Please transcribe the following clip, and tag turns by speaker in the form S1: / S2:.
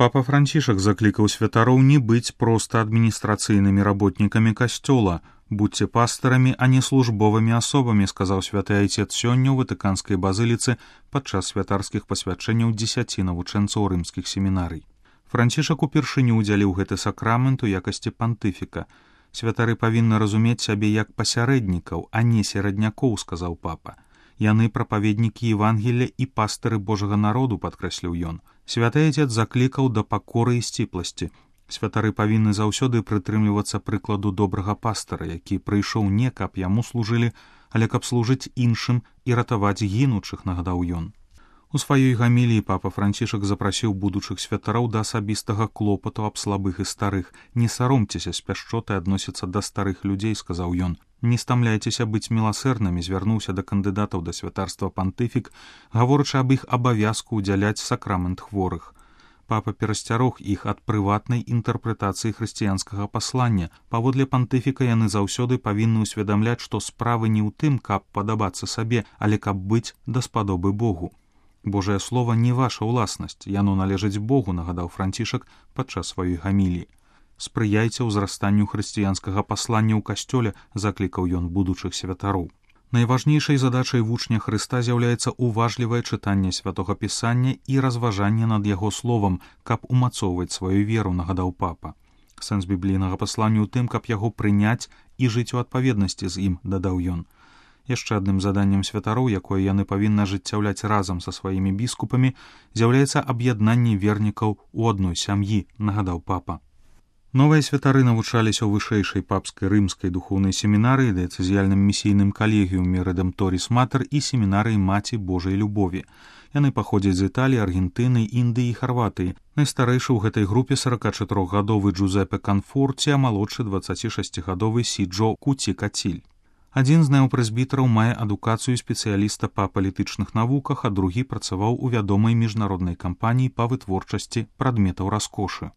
S1: Папа Францішак заклікаў святароў не быць проста адміністрацыйнымі работнікамі касцёла. «Будьце пастарамі, а не службовымі асобамі», сказаў святы айцец сёння ў Ватыканскай базыліцы падчас святарскіх пасвячэнняў 10 навучэнцаў рымскіх семінарый. Францішак упершыню ўдзяліў гэты сакрамент у якасці пантыфіка. «Святары павінны разумець сябе як пасярэднікаў, а не сераднякоў», сказаў папа. «Яны прапаведнікі Евангелля і пастыры Божага народу», падкрэсліў ён. Святы айцец заклікаў да пакоры і сціпласці. Святары павінны заўсёды прытрымлівацца прыкладу добрага пастара, які прыйшоў не каб яму служылі, але каб служыць іншым і ратаваць гінучых, нагадаў ён. У сваёй гаміліі папа Францішак запрасіў будучых святароў да асабістага клопату аб слабых і старых. «Не саромцеся з пяшчотай адносіцца да старых людзей», сказаў ён. «Не стамляйцеся быць міласэрнымі», звярнуўся да кандыдатаў да святарства пантыфік, гаворачы аб іх абавязку ўдзяляць сакрамент хворых. Папа перасцярог іх ад прыватнай інтэрпрэтацыі хрысціянскага паслання. Паводле пантыфіка яны заўсёды павінны ўсведамляць, што справы не ў тым, каб падабацца сабе, але каб быць даспадобы Богу. «Божае слова не ваша ўласнасць, яно належыць Богу», нагадаў Францішак падчас сваёй гаміліі. «Спрыяйце ўзрастанню хрысціянскага паслання ў касцёле», заклікаў ён будучых святароў. Найважнейшай задачай вучня Хрыста з'яўляецца уважлівае чытанне святога пісання і разважанне над яго словам, каб умацоўваць сваю веру, нагадаў папа. Сэнс біблійнага паслання ў тым, каб яго прыняць і жыць у адпаведнасці з ім, дадаў ён. Яшчэ адным заданнем святароў, якое яны павінны ажыццяўляць разам са сваімі біскупамі, з'яўляецца аб'яднанне вернікаў у адной сям'і, нагадаў папа. Новыя святары навучаліся ў вышэйшай папскай рымскай духоўнай семінарыі, дыяцэзіяльным місійным калегіуме Рэдэмторіс Матэр і семінарыі Маці Божай любові. Яны паходзяць з Італіі, Аргентыны, Індыі і Харватыі. Найстарэйшы ў гэтай групе 44-гадовы Джузепе Канфорці, а малодшы 26-гадовы Сіджо Куці-Каціль. Адзін з неапрэзбітараў мае адукацыю спецыяліста па палітычных навуках, а другі працаваў у вядомай міжнароднай кампаніі па вытворчасці прадметаў раскошы.